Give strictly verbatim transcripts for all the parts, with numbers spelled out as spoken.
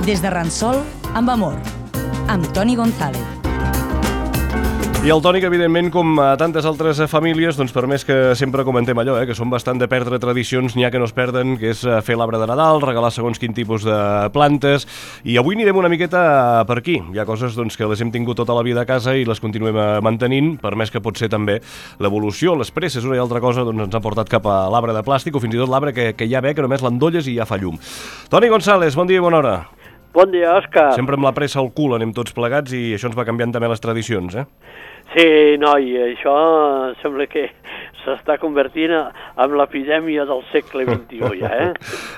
Des de Ransol, amb amor, amb Toni González. I el Toni, que evidentment, com a tantes altres famílies, doncs per més que sempre comentem allò, eh, que són bastant de perdre tradicions, n'hi ha que no es perden, que és fer l'arbre de Nadal, regalar segons quin tipus de plantes, i avui anirem una miqueta per aquí. Hi ha coses doncs, que les hem tingut tota la vida a casa i les continuem mantenint, per més que pot ser també l'evolució, les presses, una i altra cosa, doncs ens han portat cap a l'arbre de plàstic, o fins i tot l'arbre que, que ja ve, que només l'endolles i ja fa llum. Toni González, bon dia i bona hora. Bon dia, Òscar. Sempre amb la pressa al cul anem tots plegats i això ens va canviant també les tradicions, eh? Sí, noi, això sembla que s'està convertint en l'epidèmia del segle vint-i-u, ja, eh?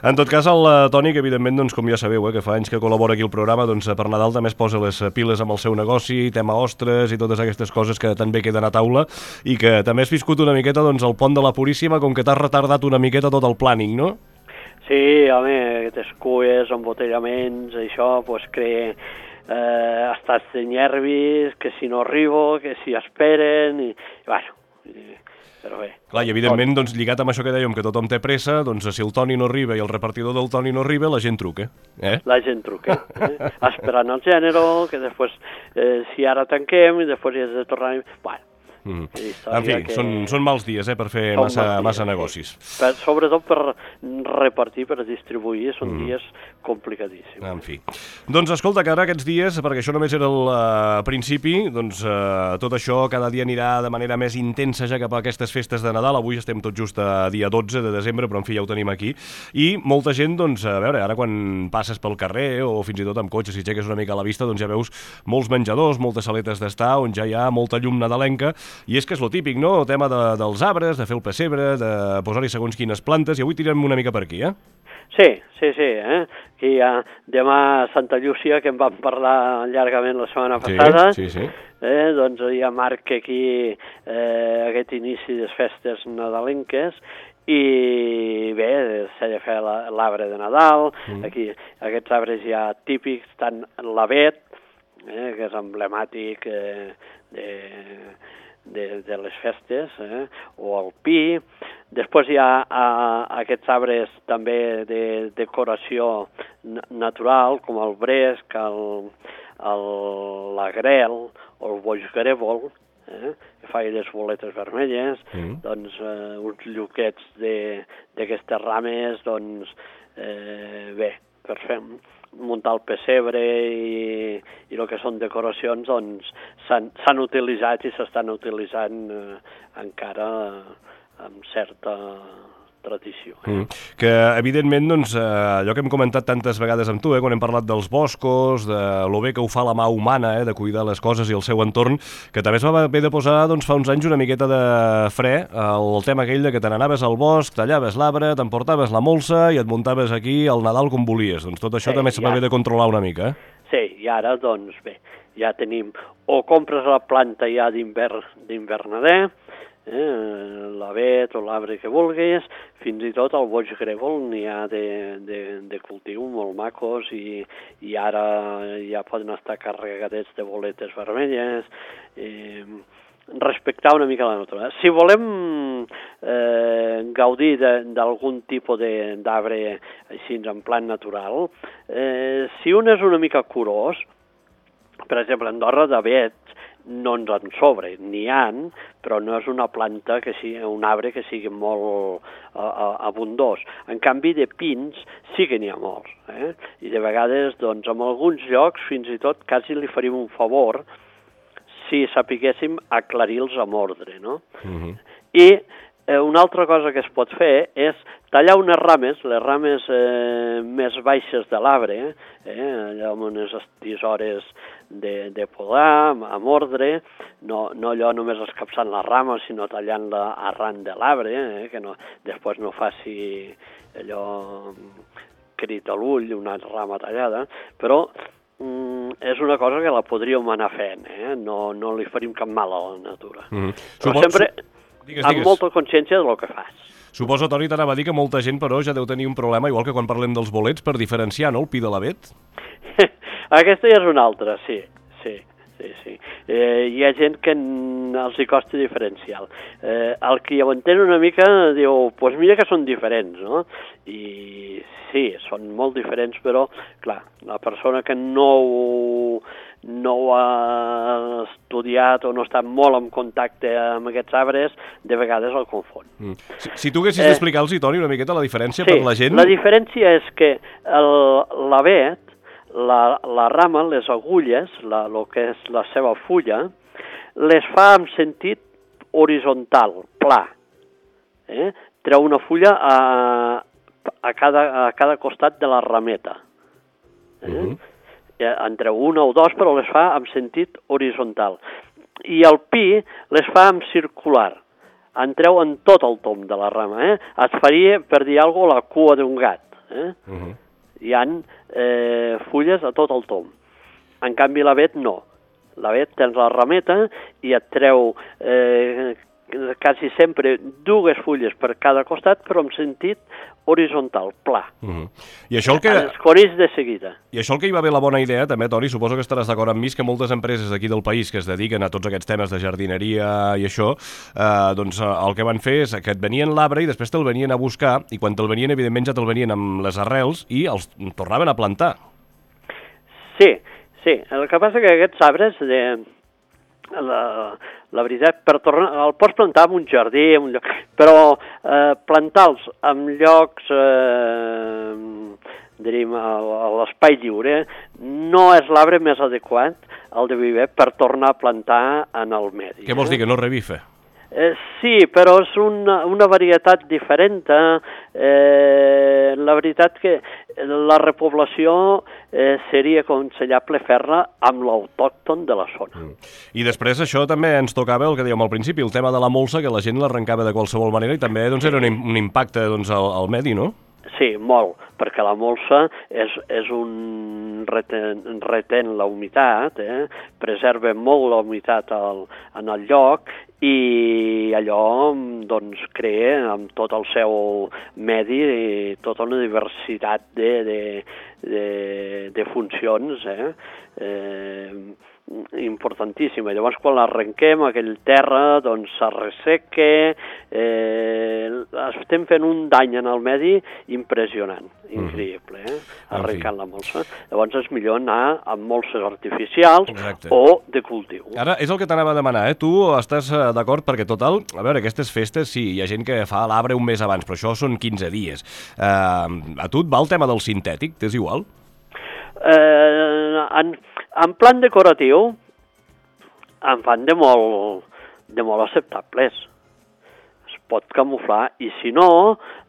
En tot cas, el Toni, que evidentment, doncs, com ja sabeu, eh, que fa anys que col·labora aquí al programa, doncs per Nadal també es posa les piles amb el seu negoci, tema ostres i totes aquestes coses que també queden a taula i que també has viscut una miqueta doncs, al pont de la Puríssima, com que t'has retardat una miqueta tot el planning, no? Sí, home, aquestes cues, embotellaments, això, pues, crea eh, estats de nervis, que si no arribo, que si esperen, i, i bueno, i, però bé. Clar, i evidentment, doncs, lligat amb això que dèiem, que tothom té pressa, doncs si el Toni no arriba i el repartidor del Toni no arriba, la gent truca, eh? La gent truca, eh? Esperant el gènere, que després, eh, si ara tanquem, i després hi has de tornar... Bueno, Mm. En fi, que... són, són mals dies eh, per fer massa, dies, massa negocis. Sí. Per, sobretot per repartir, per distribuir, són mm. dies complicadíssims. En fi. Doncs escolta, que ara aquests dies, perquè això només era el uh, principi, doncs uh, tot això cada dia anirà de manera més intensa ja cap a aquestes festes de Nadal. Avui estem tot just a dia dotze de desembre, però en fi ja ho tenim aquí. I molta gent, doncs, a veure, ara quan passes pel carrer o fins i tot amb cotxe, si aixeques una mica a la vista, doncs ja veus molts menjadors, moltes saletes d'estar, on ja hi ha molta llum nadalenca. I és que és lo típic, no? El tema de, dels arbres, de fer el pessebre, de posar-hi segons quines plantes, i avui tirem una mica per aquí, eh? Sí, sí, sí, eh? Aquí hi ha demà Santa Llúcia, que en vam parlar llargament la setmana passada. Sí, sí, sí. Eh? Doncs ja marca aquí eh, aquest inici de les festes nadalenques, i bé, s'ha de fer l'arbre de Nadal, mm. aquí aquests arbres ja típics, tant l'avet, eh, que és emblemàtic eh, de... De, de les festes, eh? O el pi. Després hi ha a, aquests arbres també de decoració natural, com el bresc, el, el, l'agrel o el boix grèvol, eh? Que fa les boletes vermelles, mm. doncs eh, uns lluquets d'aquestes rames, doncs eh, bé, per fer muntar el pessebre i, i el que són decoracions, doncs s'han utilitzat i s'estan utilitzant eh, encara amb certa tradició. Eh? Mm. Que, evidentment, doncs, eh, allò que hem comentat tantes vegades amb tu, eh, quan hem parlat dels boscos, de lo bé que ho fa la mà humana, eh, de cuidar les coses i el seu entorn, que també es va haver de posar doncs, fa uns anys una miqueta de fre el tema aquell de que te n'anaves al bosc, tallaves l'arbre, t'emportaves la molsa i et muntaves aquí al Nadal com volies. Doncs tot això sí, també se va haver de controlar una mica, eh? Sí, i ara, doncs, bé, ja tenim... O compres la planta ja d'invernader, eh, l'avet o l'arbre que vulguis, fins i tot el boix grèvol n'hi ha de, de, de cultiu molt macos i, i ara ja poden estar carregadets de boletes vermelles, eh, respectar una mica la natura. Si volem eh, gaudir d'algun tipus d'arbre així en plan natural, eh, si un és una mica curós, per exemple, a Andorra d'avets no ens en sobre, n'hi ha, però no és una planta, que sigui, un arbre que sigui molt uh, abundós. En canvi, de pins sí que n'hi ha molts, eh? I de vegades, doncs, en alguns llocs, fins i tot, quasi li faríem un favor si sapiguéssim aclarir-los amb ordre, no? Uh-huh. I eh, una altra cosa que es pot fer és tallar unes rames, les rames eh, més baixes de l'arbre, eh, allà amb unes tisores de, de podar, amb ordre, no, no allò només escapçant la rama, sinó tallant-la arran de l'arbre, eh, que no, després no faci allò crit a l'ull, una rama tallada, però mm, és una cosa que la podríem anar fent, eh? no, no li faríem cap mal a la natura. Mm. Però Supos... sempre digues, amb digues. molta consciència del que fas. Suposo, Toni, t'anava a dir que molta gent, però, ja deu tenir un problema, igual que quan parlem dels bolets, per diferenciar, no?, el pi de l'avet. Aquesta ja és una altra, sí, sí. sí, sí. Eh, hi ha gent que els hi costa diferencial. Eh, el que ja ho entén una mica diu, doncs pues mira que són diferents, no? I sí, són molt diferents, però, clar, la persona que no ho, no ho ha estudiat o no està molt en contacte amb aquests arbres, de vegades el confon. Mm. Si, si tu haguessis eh, d'explicar-los, Toni, una miqueta la diferència sí, per la gent... la diferència és que l'avet, la, la rama, les agulles, la, el que és la seva fulla, les fa en sentit horitzontal, pla. Eh? Treu una fulla a, a, cada, a cada costat de la rameta. Eh? Uh-huh. En treu una o dos, però les fa en sentit horitzontal. I el pi les fa en circular. En treu en tot el tom de la rama. Eh? Et faria, per dir alguna cosa, la cua d'un gat. Eh? Uh-huh. Hi ha eh, fulles a tot el tom. En canvi, l'avet no. L'avet tens la rameta i et treu eh, quasi sempre dues fulles per cada costat, però en sentit horitzontal, pla. Uh-huh. I això el que... Es coneix de seguida. I això el que hi va haver la bona idea, també, Toni, suposo que estaràs d'acord amb mi, que moltes empreses d'aquí del país que es dediquen a tots aquests temes de jardineria i això, eh, doncs el que van fer és que et venien l'arbre i després te'l venien a buscar, i quan te'l venien, evidentment, ja te'l venien amb les arrels i els tornaven a plantar. Sí, sí. El que passa que aquests arbres, de, la, la veritat, per tornar, el pots plantar en un jardí, en un lloc, però eh, plantar-los en llocs, eh, diríem, a, a l'espai lliure, no és l'arbre més adequat, el de viver, per tornar a plantar en el medi. Què vols dir, que no revife? Eh, sí, però és una, una varietat diferent. Eh, la veritat que la repoblació eh, seria aconsellable fer-la amb l'autòcton de la zona. Mm. I després això també ens tocava el que dèiem al principi, el tema de la molsa, que la gent l'arrencava de qualsevol manera i també doncs, era un, un impacte doncs, al, al medi, no? Sí, molt, perquè la molsa és, és un reten, reten la humitat, eh? Preserva molt la humitat al, en el lloc i allò doncs, crea amb tot el seu medi tota una diversitat de, de, de, de funcions, eh? Eh, importantíssima. Llavors, quan l'arrenquem, aquell terra doncs s'arresseca, eh, estem fent un dany en el medi impressionant, increïble, eh? Arrencant la molsa. Llavors és millor anar amb molses artificials. Exacte. O de cultiu. Ara, és el que t'anava a demanar, eh? Tu estàs d'acord perquè, total, a veure, aquestes festes, sí, hi ha gent que fa l'arbre un mes abans, però això són quinze dies. Eh, a tu et va el tema del sintètic? T'és igual? Eh, en, en plan decoratiu en fan de molt, de molt acceptables. Es pot camuflar i si no,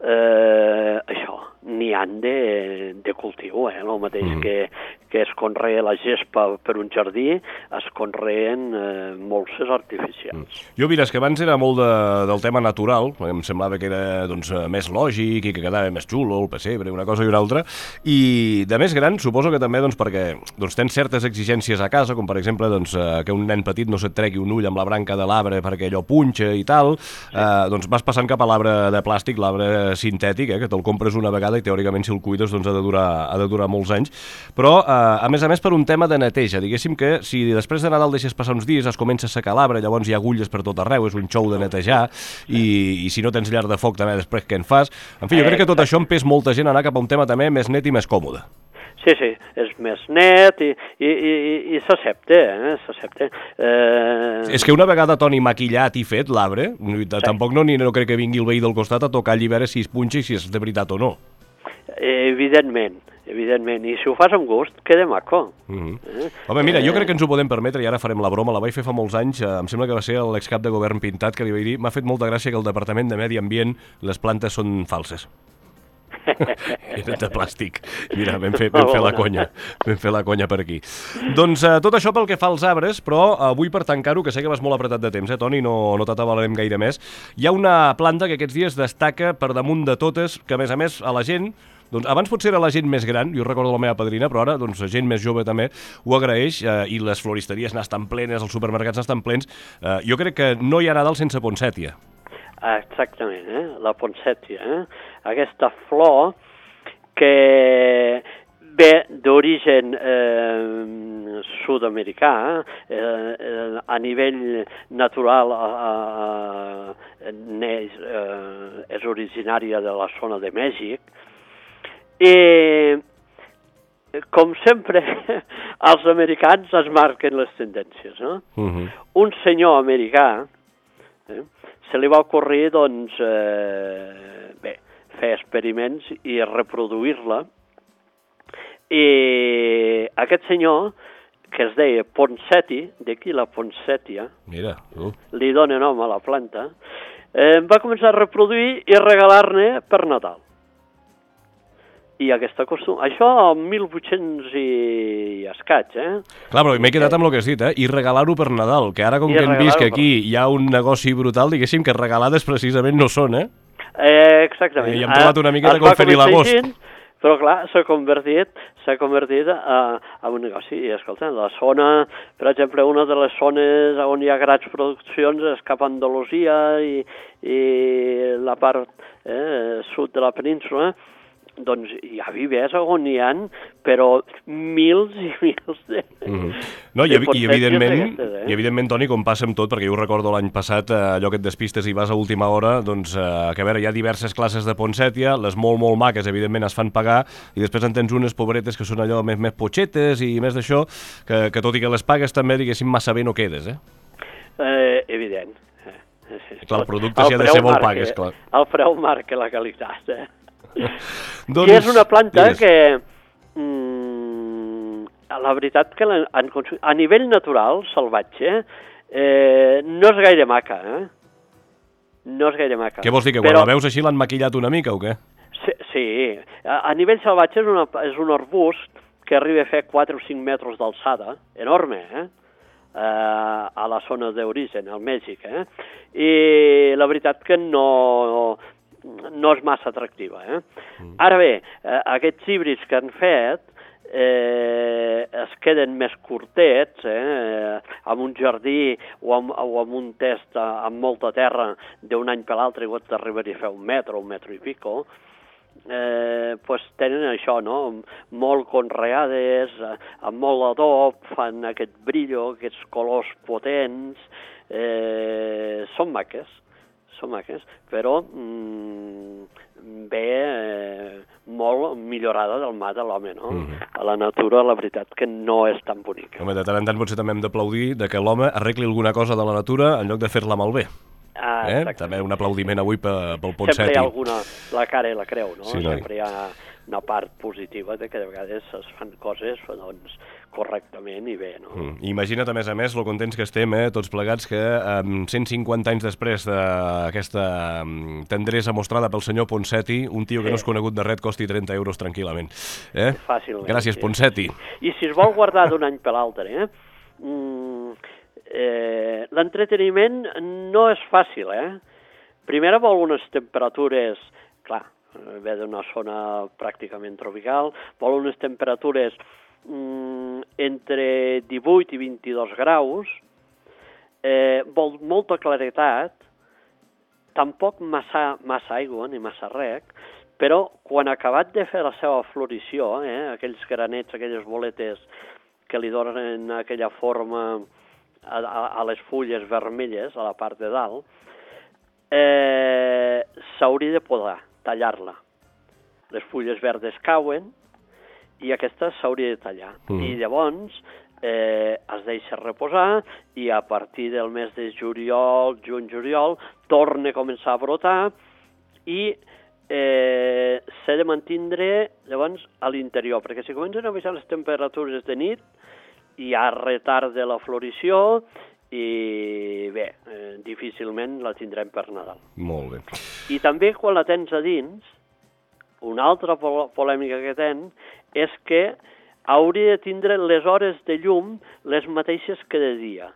eh, això, n'hi han de, de cultiu, eh? El mateix mm. que, que es conrea la gespa per un jardí, es conreen eh, molses artificials. Mm. Jo mires que abans era molt de, del tema natural, em semblava que era doncs, més lògic i que quedava més xulo, el pessebre, una cosa i una altra, i de més gran suposo que també doncs, perquè doncs, tens certes exigències a casa, com per exemple doncs, que un nen petit no se't tregui un ull amb la branca de l'arbre perquè allò punxa i tal, sí. eh, doncs vas passant cap a l'arbre de plàstic, l'arbre sintètic, eh, que te'l compres una vegada i teòricament si el cuides doncs, ha, de durar, ha de durar molts anys, però eh, a més a més per un tema de neteja, diguéssim que si després de Nadal deixes passar uns dies es comença a secar l'arbre, llavors hi ha agulles per tot arreu, és un xou de netejar i, i si no tens llar de foc també després què en fas? En fi, jo crec que tot això empès molta gent a anar cap a un tema també més net i més còmode. Sí, sí, és més net i, i, i, i s'accepta, eh? S'accepta. Eh... És que una vegada, Toni, maquillat i fet l'arbre, sí. Tampoc no, ni no crec que vingui el veí del costat a tocar allí a veure si es punxa i si és de veritat o no. Evidentment, evidentment, i si ho fas amb gust, queda maco. Mm-hmm. eh? Home, mira, jo crec que ens ho podem permetre i ara farem la broma, la vaig fer fa molts anys, eh, em sembla que va ser l'excap de govern Pintat que li vaig dir, m'ha fet molta gràcia que el Departament de Medi Ambient les plantes són falses. Eren de plàstic. Mira, vam fer, vam fer la conya. Vam fer la conya per aquí. Doncs eh, tot això pel que fa als arbres, però avui per tancar-ho, que sé que vas molt apretat de temps, eh, Toni, no, no t'atabalarem gaire més, hi ha una planta que aquests dies destaca per damunt de totes, que a més a més a la gent, doncs abans potser era la gent més gran, jo recordo la meva padrina, però ara doncs, gent més jove també ho agraeix eh, i les floristeries n'estan plenes, els supermercats n'estan plens. Eh, jo crec que no hi ha Nadal sense poncètia. Exactament, eh? La poncètia, eh? Aquesta flor que ve d'origen eh, sud-americà, eh, eh, a nivell natural eh, eh, eh, és originària de la zona de Mèxic, i com sempre, els americans es marquen les tendències, no? Uh-huh. Un senyor americà eh, se li va ocorrir, doncs, eh, bé, fer experiments i reproduir-la. I aquest senyor, que es deia Ponseti, d'aquí la Ponsètia, Mira, uh. li dona nom a la planta, eh, va començar a reproduir i regalar-ne per Nadal. I aquesta costum... Això el mil vuit-cents i escaig, eh? Clar, però m'he quedat amb el que has dit, eh? I regalar-ho per Nadal, que ara com I que hem vist que aquí per... hi ha un negoci brutal, diguéssim, que regalades precisament no són, eh? eh exactament. I hem trobat una miqueta es com fer-hi l'agost. Però clar, s'ha convertit, s'ha convertit a, a un negoci. I escolta, la zona, per exemple, una de les zones on hi ha grans produccions és cap a Andalusia i, i la part eh, sud de la península, doncs hi ha vivers on hi ha, però mils i mils de... Mm-hmm. No, i, i, evidentment, eh? i evidentment, Toni, com passa amb tot, perquè jo ho recordo l'any passat, eh, allò que et despistes i vas a última hora, doncs, eh, que a veure, hi ha diverses classes de ponsètia, les molt, molt maques, evidentment, es fan pagar, i després en tens unes pobretes que són allò més, més potxetes i més d'això, que, que tot i que les pagues també, diguéssim, massa bé no quedes, eh? eh evident. Eh, clar, el producte s'hi ha de ser molt pagues, clar. El preu marca la qualitat, eh? doncs, I és una planta digues. que, mm, la veritat que la, en, a nivell natural, salvatge, eh, no és gaire maca, eh? No és gaire maca. Què vols dir, que quan Però... la veus així l'han maquillat una mica o què? Sí, sí. A, a nivell salvatge és, una, és un arbust que arriba a fer quatre o cinc metres d'alçada, enorme, eh? Uh, a la zona d'origen, al Mèxic, eh? I la veritat que no... no és massa atractiva. Eh? Mm. Ara bé, eh, aquests híbrids que han fet eh, es queden més curtets, eh, amb un jardí o amb, o amb un test amb molta terra d'un any per l'altre i pot arribar a fer un metre o un metre i pico, eh, pues tenen això, no? Molt conreades, amb molt adob, fan aquest brillo, aquests colors potents, eh, són maques. són maques, però mm, ve eh, molt millorada del mà de l'home, no? Mm-hmm. A la natura, la veritat, que no és tan bonica. Home, de tant en tant potser també hem d'aplaudir de que l'home arregli alguna cosa de la natura en lloc de fer-la malbé. Ah, eh? També un aplaudiment avui pel Ponseti. Sempre hi ha alguna, la cara i la creu, no? Sí, no? Sempre hi ha una part positiva de que de vegades es fan coses, doncs, correctament i bé, no? Mm. Imagina't, a més a més, lo contents que estem, eh, tots plegats, que um, cent cinquanta anys després d'aquesta um, tendresa mostrada pel senyor Ponseti, un tio que sí. no és conegut de res costi trenta euros tranquil·lament. Eh? Fàcilment. Gràcies, sí. Ponseti. I si es vol guardar d'un any per l'altre, eh? Mm, eh, l'entreteniment no és fàcil, eh? Primer vol unes temperatures, clar, ve d'una zona pràcticament tropical, vol unes temperatures mm, entre divuit i vint-i-dos graus, eh, vol molta claretat, tampoc massa, massa aigua ni massa rec, però quan ha acabat de fer la seva florició, eh, aquells granets, aquelles boletes que li donen aquella forma a, a, a les fulles vermelles, a la part de dalt, eh, s'hauria de podar, tallar-la. Les fulles verdes cauen i aquesta s'hauria de tallar. Mm. I llavors eh, es deixa reposar i a partir del mes de juliol, juny-juliol, torna a començar a brotar i eh, s'ha de mantindre llavors a l'interior, perquè si comencen a baixar les temperatures de nit hi ha retard de la florició i bé, eh, difícilment la tindrem per Nadal. Molt bé. I també quan la tens a dins, una altra polèmica que ten és que hauria de tindre les hores de llum les mateixes que de dia.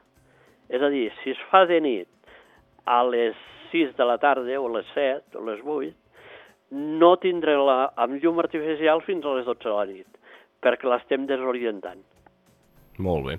És a dir, si es fa de nit a les sis de la tarda o a les set o a les vuit, no tindre-la amb llum artificial fins a les dotze de la nit, perquè l'estem desorientant. Molt bé.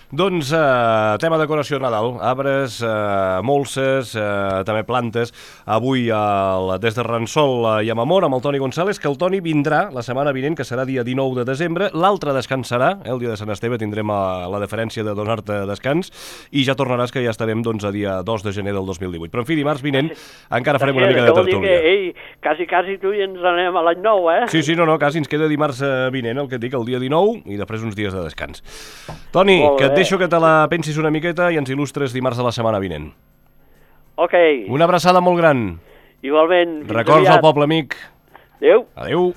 Doncs eh, tema decoració de Nadal, arbres, eh, molses, eh, també plantes. Avui el, des de Ransol eh, i amb Amor, amb el Toni González, que el Toni vindrà la setmana vinent, que serà dia dinou de desembre. L'altre descansarà, eh, el dia de Sant Esteve tindrem a, la deferència de donar-te descans i ja tornaràs, que ja estarem doncs, a dia dos de gener del dos mil divuit. Però en fi, dimarts vinent encara farem una mica de tertúlia. Que, ei, quasi, quasi tu i ens anem a l'any nou, eh? Sí, sí, no, no, quasi ens queda dimarts vinent, el que et dic, el dia dinou, i després uns dies de descans. Toni, que et deixo que te la pensis una miqueta i ens il·lustres dimarts de la setmana vinent. Ok. Una abraçada molt gran. Igualment. Records al poble amic. Adéu. Adéu.